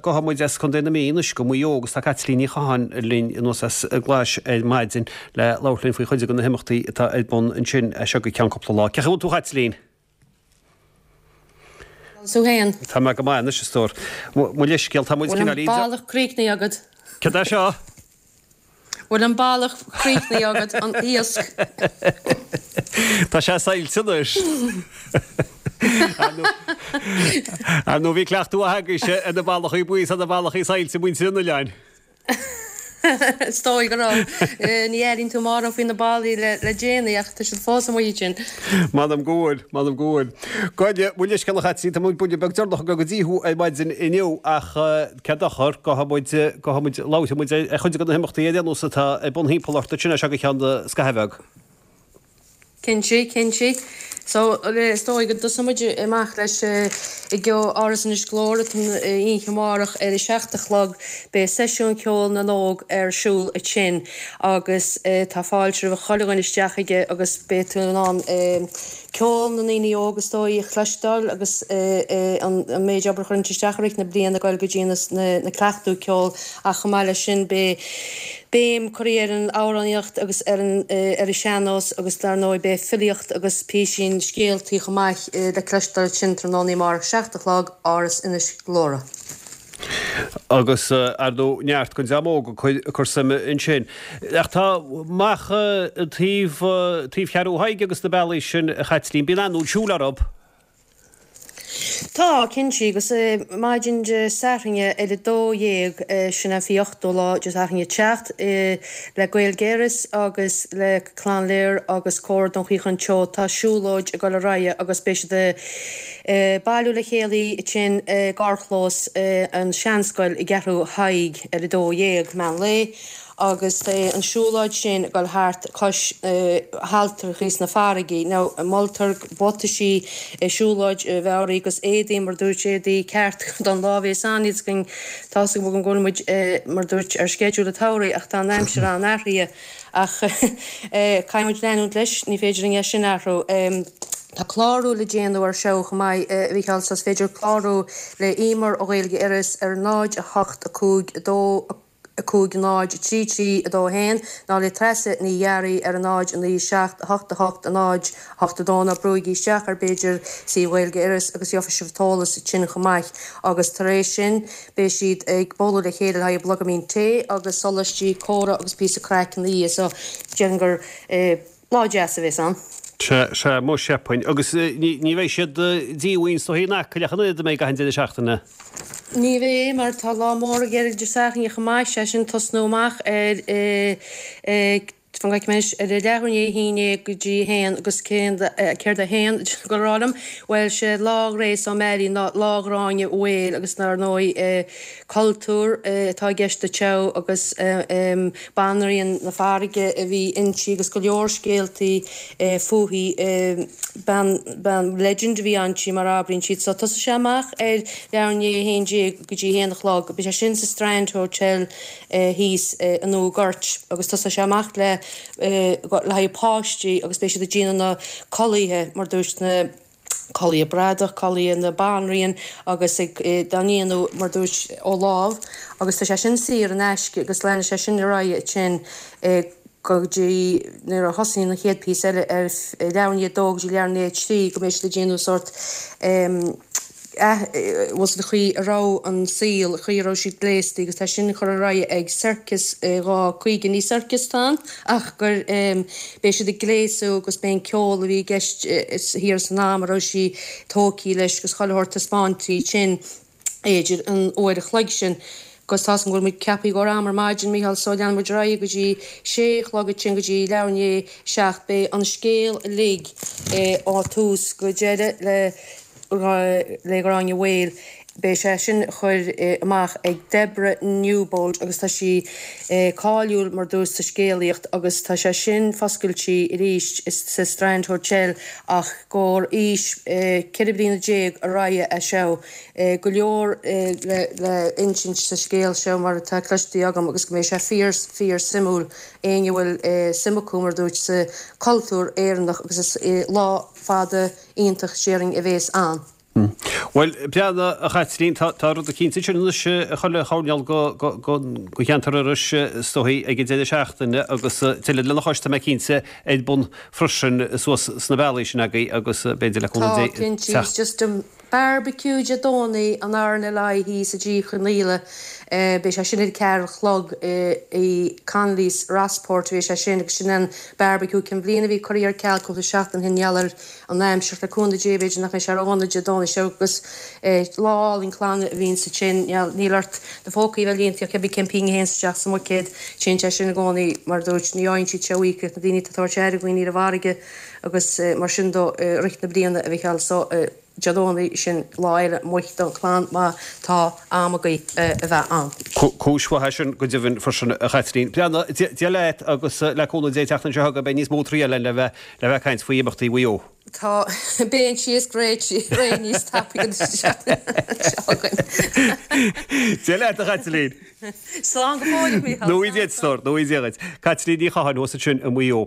Gabhfaidh muid as Contae na Mí anois go Maigh Eo agus tá Caitlín Ní Chatháin linn anuas as an gClais ar maidin le labhairt linn faoi chuid de na himeachtaí atá ar bun ansin as seo go ceann cúpla lá. Cén chaoi a bhfuil tú a Chaitlín? Agus tú fhéin? Tá mé go maith anois a stór. Mo leithscéal, tá muid Bhfuil an cineál bealach críochnaithe agat? Cad é seo? Bhfuil an bealach críochnaithe agat, an iasc? Tá sé saillte anois. Ar ndóigh bhí cleachtadh mhaith agaibhse ar na bealachaí buí is ar na bealachaí saillte muintir an oileáin. Is dóigh go raibh. Ní airíonn tú mórán faoi na ballaí le déanaí ach tá siad fós amuigh ansin. M'anam go bhfuil, m'anam go bhfuil. Gabh mo leithscéal a Chaitlín, tá muid buille beag deireanach ag dul go dtí thú ar maidin inniu ach cén dochar, gabhfaidh muid, gabhfaidh muid, labharfaidh muid ar chuid de na himeachtaí ar aon nós atá ar bun thimpeall ort ansin as seo go ceann scaithimh bheag. Cinnte, cinnte. So, is dóigh go dtosóidh muid amach leis i gCeo Áras Inis Gluaire an oíche amárach ar a 7 a chlog. Beidh seisiún ceoil na n-óg ar siúl ansin agus tá fáilte roimh chuile dhuine isteach aige agus beidh tú in ann ceol na ndaoine óg is dóigh a chloisteáil agus an méid obair a chuireann isteach i rith na bliana ag dul go dtí na cleachtadh ceoil ach chomh maith leis sin beidh béim curtha ar an amhránaíocht agus ar an ar an sean-nós agus dar ndóigh beidh filíocht agus písín scéaltaí chomh maith le cloisteáil ansin tráthnóna amárach, 7 a chlog, Áras Inis Gluaire. Agus ar ndóigh neart den dream óg ag cur suime ansin. Ach tá amach taobh taobh Cheathrú Thaidhg agus na bealaí sin a Chaitlín, bíonn an-lucht siúil orthu. Tá, cinnte, agus maidin Dé Sathairn ar a 12, sin an 28ú lá, Dé Sathairn ag teacht, le Gaeilge Iorrais agus le Clann Lir agus Cór Dún Chaocháin Teo, tá siúlóid ag dul ar aghaidh agus beidh siad ag bailiú le chéile ansin i gcarrchlós an Seanscoil i gCeathrú Thaidhg ar a 12, meán lae. agus beidh an siúlóid sin ag dul thart cois haltrachaí sna farraigí. Now, moltar buataisí siúlóid a bheith oraibh agus éadaí, mar dúirt, éadaí ceart don lá a bhéas ann. Níl 's againn, tá's agam go bhfuil muid, mar dúirt, ar sceideal an tsamhraidh ach tá an aimsir an-athraithe. Ach caithfidh muid leanúint leis, ní féidir linn é sin a athrú. Tá clárú le déanamh ar seo chomh maith, a Mhícheáil, so is féidir clárú le Emer ó Ghaeilge Iorrais ar 0 8 5 2 5 0 3 3 2 1 nó le Treasa Ní Ghearraigh ar 0 9 7 8 8 0 8 2 nó brúigí isteach ar b'fhéidir suíomh Ghaeilge Iorrais agus gheobhaidh sibh an t-eolas sin chomh maith agus tar éis sin beidh siad ag bualadh le chéile le haghaidh bloghaimín tae agus solaistí, comhrá agus píosa craic ina dhiaidh so déarfainn gur Lá deas a bhéas ann. Sea, sea, mo cheapfainn. Agus ní bheidh siad díomhaoin is dóigh in Acaill ach an oiread a mbeidh achan deireadh seachtaine. Ní bheidh, mar tá lá mór ag Éire Dé Sathairn chomh maith, sé sin tosnú amach ar fan go bhfeicfidh mé anois, ar a leathuair i ndiaidh a haon déag go dtí a haon agus céard a haon ag rá liom? Bhuel, sé Lá Ghrace O'Malley ná Lá Ghráinne Mhaol agus dar ndóigh cultúr atá i gceist anseo agus banríon na farraige a bhí inti agus go leor scéaltaí fúithi. Bean, bean, legend a bhí inti mar a abraíonn siad. So tosóidh sé amach ar leathuair i ndiaidh a haon déag go dtí a haon a chlog. Beidh sé sin sa Strand Hotel thíos i nDumha Goirt agus tosóidh sé amach le le haghaidh páistí agus beidh siad ag déanamh na culaithe mar dúirt na culaith bradach, culaith na banríon agus ag dá ndéanamh mar dúirt ó lámh agus tá sé sin saor in aisce agus leanfaidh sé sin ar aghaidh ansin go dtí nuair a thosaíonn an chéad píosa eile ar leathuair i ndiaidh a dó go dtí leathuair i ndiaidh a trí go mbeidh siad ag déanamh sórt bhfuil an chaoi a raibh an saol, an chaoi a raibh siad gléasta agus tá sin curtha ar aghaidh ag Circus 2 50, ní circus atá ann ach gur beidh siad ag gléasadh agus beidh an ceol a bhí i gceist thiar san am a raibh sí tógtha leis agus chuile shórt taispeáintí sin idir an uair a chloig sin. Agus tá's agam go bhfuil muid ceaptha i gcomhair am ar maidin, Mícheál, so leanfaidh muid ar aghaidh go dtí sé a chlog ansin go dtí leathuair i ndiaidh a seacht. Beidh an scéal uilig ó thús go deireadh le le Gráinne Mhaol. Beidh sé sin curtha amach ag Deborah Newbold agus tá sí cáiliúil mar dúirt sa scéalaíocht agus tá sé sin foscailte arís sa Strand Hotel ach gcomhair aois 14 bliana ar aghaidh é seo. Go leor le insint sa scéal seo mar atá cloiste agam agus go mbeidh sé fíor fíor suimiúil éinne a bhfuil suim acu mar dúirt sa cultúr Éireannach agus is lá fada iontach déarfainn a bhéas ann. Bhuel, breathnaigh, a Chaitlín, tá tá rud eicínt ansin anois ag chuile choirnéal go go go go cheantar Iorrais is dóigh ag an deireadh seachtaine agus tuilleadh lena chois tá mé cinnte ar bun freisin suas sna bealaí sin agaibh agus b'fhéidir le cúnamh Tá, Dé cinnte, teacht. Just an barbecue Dé Domhnaigh an RNLI thíos i dTrí Chonghaile, beidh sé sin ar a ceathair a chlog i Connolly's Rossport, beidh sé sin agus sin an barbecue cinn bhliana a bhí curtha ar ceal cúpla seachtain ó shin i ngeall ar an aimsir, le cúnamh Dé b'fhéidir nach mbeidh sé ródhona Dé Domhnaigh seo agus lá álainn clainne a bhíonn ansin, níl ort do phócaí a bheith líonta ach cibé cén phingin a théanns isteach sa mbuicéad, téann sé sin i gcónaí mar a dúirt, ní fhaigheann siad sé uaidh ach na daoine atá ag tabhairt aire dhaoine ar an bhfarraige agus mar sin dó i rith na bliana a Mhichíl so. Dé Domhnaigh sin lá eile amuigh don chlann má tá am agaibh a bheith ann. Cúis mhaith é sin go deimhin freisin a Chaitlín. Breathnaigh, Dia leat agus le cúnamh Dé an tseachtain seo chugainn beidh níos mó triail againn le bheith le bheith ag caint faoi imeachtaí Mhaigh Eo. Tá, beidh an síos réidh níos tapaidh an tseachtain seo chugainn. Dia leat a Chaitlín. Slán go fóill a Mhícheál. Nó í Dia duit, a stór, nó í Dia dhuit. Caitlín Ní Chatháin thuas ansin i Maigh Eo.